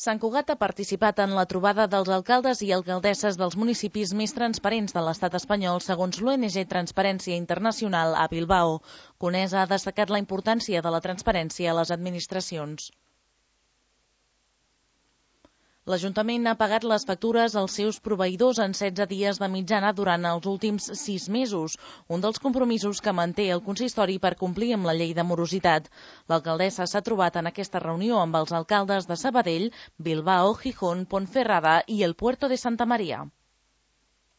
Sant Cugat ha participat en la trobada dels alcaldes i alcaldesses dels municipis més transparents de l'estat espanyol, segons l'ONG Transparència Internacional a Bilbao. Conesa ha destacat la importància de la transparència a les administracions. L'Ajuntament ha pagat les factures als seus proveïdors en 16 dies de mitjana durant els últims 6 mesos, un dels compromisos que manté el consistori per complir amb la llei de morositat. L'alcaldessa s'ha trobat en aquesta reunió amb els alcaldes de Sabadell, Bilbao, Gijón, Ponferrada i el Puerto de Santa Maria.